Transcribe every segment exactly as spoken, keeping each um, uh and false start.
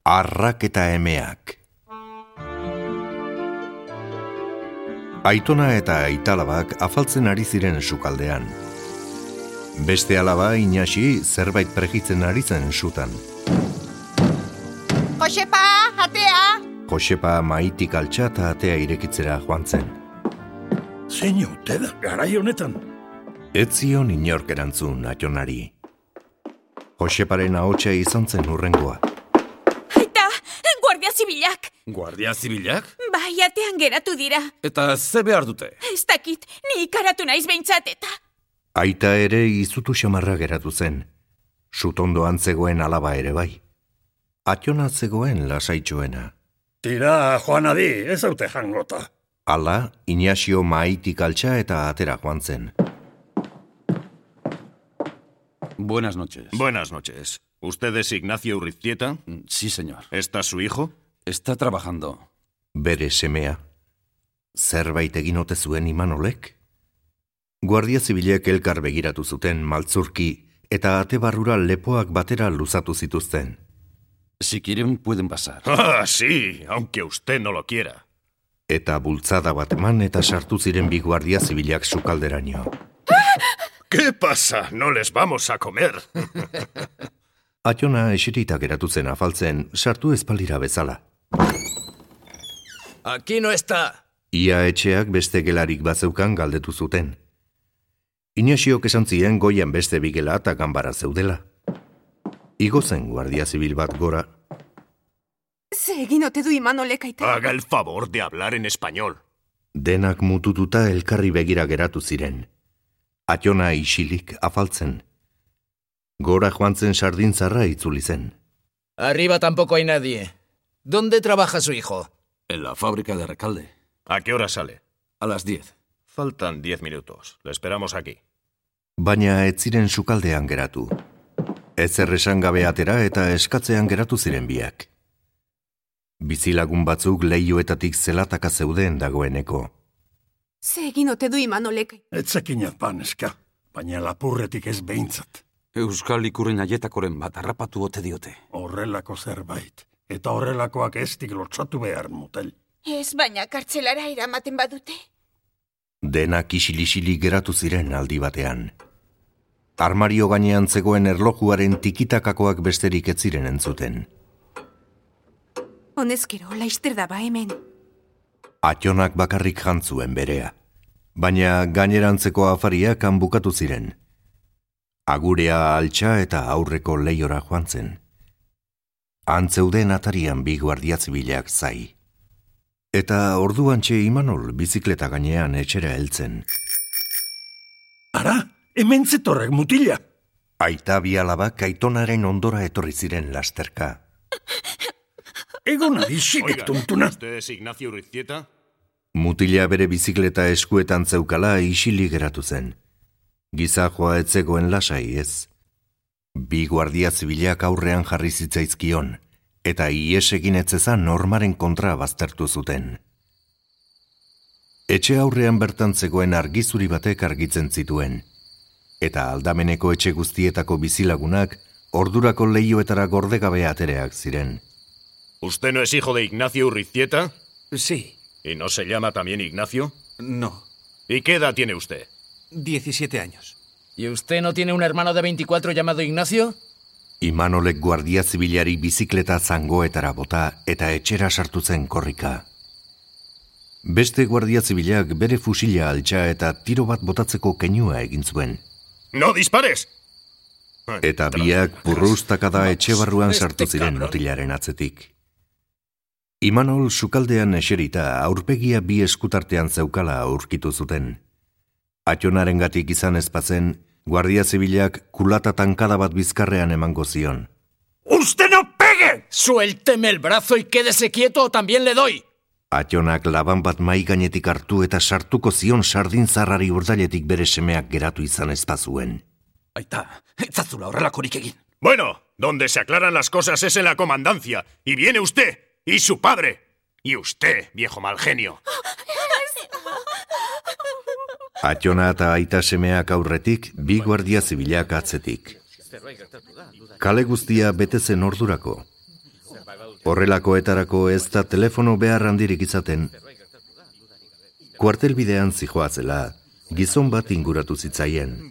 Arrak eta emeak. Aitona eta aitalabak afaltzen ari ziren sukaldean. Beste alaba Inaxi zerbait pregitzen ari zen sutan. Josepa, atea! Josepa maitik altxa eta atea irekitzera joan zen. Zein haute da, garai honetan? Ez zion inork erantzun Aitonari. Joseparen ahotsa izan zen hurrengoa. Aita, Guardia Zibilak! Guardia Zibilak? Bai, atean geratu dira. Eta ze behar dute? Ez dakit, ni ikaratu naiz behintzat eta... Aita ere izutu xamarra geratu zen. Sutondoan zegoen alaba ere bai. Aiona zegoen lasaitxoena. Tira, joan adi, ez haute jangota. Hala, Inaxio maitik altxa eta atera joan zen. Buenas noches. Buenas noches. ¿Usted es Ignacio Urriztieta? Sí, señor. ¿Está su hijo? Está trabajando. Bere semea. Zerbait egin ote zuen Imanolek? Guardia Zibilek elkar begiratu zuten maltzurki eta ate barrura lepoak batera luzatu zituzten. Si quieren, pueden pasar. Ah, sí, aunque usted no lo quiera. Eta bultzada bat eman eta sartu ziren bi Guardia Zibilak sukalderaino. ¿Qué pasa? No les vamos a comer. Aiona eserita geratu zen afaltzen, sartu espalira bezala. Aquí no está. Ia etxeak beste gelarik bazeukan galdetu zuten. Inaxiok esan zien goian beste bigela eta ganbara zeudela. Igo zen Guardia Zibil bat gora. Ze egin ote du Imanolek, aita? Haga el favor de hablar en español. Denak mutututa elkarri begira geratu ziren. Aiona isilik afaltzen. Gora joan zen sardintzarra itzuli zen. Arriba tampoco hay nadie. ¿Dónde trabaja su hijo? En la fábrica de Recalde. ¿A qué hora sale? A las diez. Faltan diez minutos. Le esperamos aquí. Baina ez ziren sukaldean geratu. Ez erresan gabe atera eta eskatzean geratu ziren biak. Bizilagun batzuk leihoetatik zelataka zeuden dagoeneko. Ze egin ote du Imanolek? Etzekinat paneska, baina lapurretik ez behintzat. Euskal ikurren aietakoren bat harrapatu ote diote. Horrelako zerbait. Eta horrelakoak eztik lotsatu behar motel. Ez, baina kartzelara eramaten badute. Denak isil-isili geratu ziren aldi batean. Armario gainean zegoen erlojuaren tikitakakoak besterik ez ziren entzuten. Honezkero, laister daba hemen. Aitonak bakarrik jantzuen berea. Baina gainerantzeko afariak han bukatu ziren. Agurea altxa eta aurreko leiora joan zen. Antzeuden atarian bi Guardia Zibilak zai. Eta orduantxe Imanol bizikleta gainean etxera heltzen. Ara, hemen zetorrek mutila. Aita bi alabak Aitonaren ondora etorri ziren lasterka. Egon adixik tontuna. ¿Usted es Ignacio Urriztieta? Mutila bere bizikleta eskuetan zeukala isili geratu zen. Gizajoa ez zegoen lasai ez. Bi Guardia Zibilak aurrean jarri zitzaizkion, eta ies egin etzezan normaren kontra baztertu zuten. Etxe aurrean bertan zegoen argizuri batek argitzen zituen, eta aldameneko etxe guztietako bizilagunak ordurako leihoetara gordegabe atereak ziren. ¿Usted no es hijo de Ignacio Urriztieta? Sí. ¿Y no se llama también Ignacio? No. ¿Y qué edad tiene usted? diecisiete años. ¿Y usted no tiene un hermano de veinticuatro llamado Ignacio? Imanolek Guardia Zibilari bizikleta zangoetara bota eta etxera sartu zen korrika. Beste Guardia Zibilak bere fusila altxa eta tiro bat botatzeko keinua egin zuen. ¡No dispares! Eta biak purrustakada etxe barruan sartu ziren mutilaren atzetik. Imanol sukaldean eserita aurpegia bi eskutartean zeukala aurkitu zuten. Aitonarengatik izan ezpazen, Guardia Zibilak kulata tankada bat bizkarrean emango zion. ¡Usted no pegue! Suélteme el brazo y quédese quieto o también le doy. Aitonak laban bat mai gainetik hartu eta sartuko zion sardintzarrari urdailetik bere semeak geratu izan ezpazuen. Aita, etzazula horrelakorik egin. Bueno, donde se aclaran las cosas es en la comandancia. Y viene usted, y su padre. Y usted, viejo mal genio. Aitona eta aita semeak aurretik, bi Guardia Zibilak atzetik. Kale guztia bete zen ordurako. Horrelakoetarako ez da telefono behar handirik izaten. Kuartelbidean zijoatzela, gizon bat inguratu zitzaien.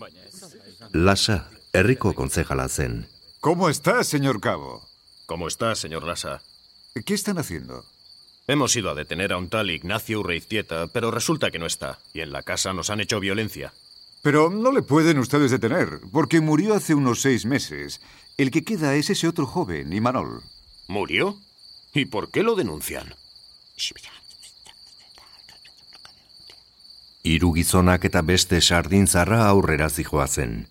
Lasa, herriko kontzejala zen. ¿Cómo está, señor Cabo? ¿Cómo está, señor Lasa? ¿Qué están haciendo? Hemos ido a detener a un tal Ignacio Urreiztieta, pero resulta que no está, y en la casa nos han hecho violencia. Pero no le pueden ustedes detener, porque murió hace unos seis meses. El que queda es ese otro joven, Imanol. ¿Murió? ¿Y por qué lo denuncian? Hiru gizonak eta beste sardintzarra aurrera zijoazen.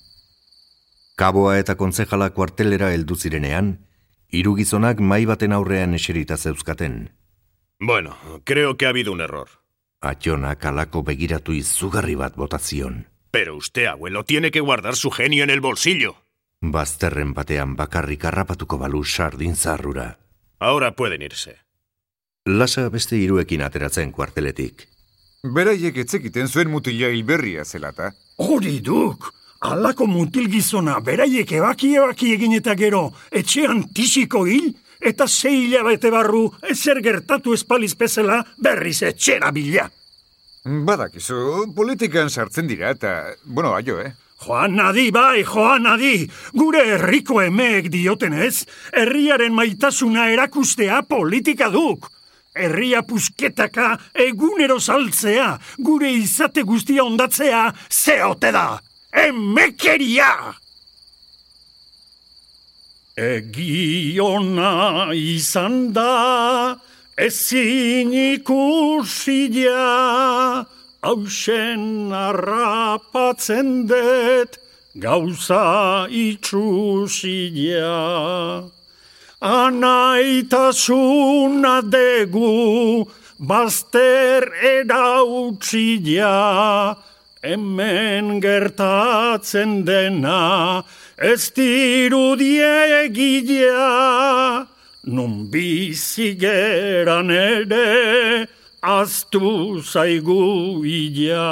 Kaboa eta kontzejala kuartelera heldu zirenean, hiru gizonak mahai baten aurrean eserita zeuzkaten. Bueno, creo que ha habido un error. Atxonak halako begiratu izugarri bat botazion. Pero usted, abuelo, tiene que guardar su genio en el bolsillo. Bazterren batean bakarrik harrapatuko balu sardintzarrura. Ahora pueden irse. Lasa beste hiruekin ateratzen kuarteletik. Beraiek etzekiten zuen mutila hilberria zelata. Hori duk! Alako mutil gizona beraiek ebaki-ebaki egin eta gero etxean tisiko hil, eta sei hilabete barru ezer gertatu espaliz bezala berriz etxera bila. Badakizu, politikan sartzen dira eta, bueno, aio, eh? Joan nadi, bai, joan nadi! Gure herriko emeek diotenez, herriaren maitasuna erakustea politika duk. Herria pusketaka egunero saltzea, gure izate guztia ondatzea, zeote da! Emekeria! Egiona izan da, ezin ikusia, hausen harrapatzen det, gauza itxusia. Anaitasuna degu, bazter erautsia, hemen gertatzen dena, ez dirudiegia, nun bizigeran ere, aztu zaigu ia.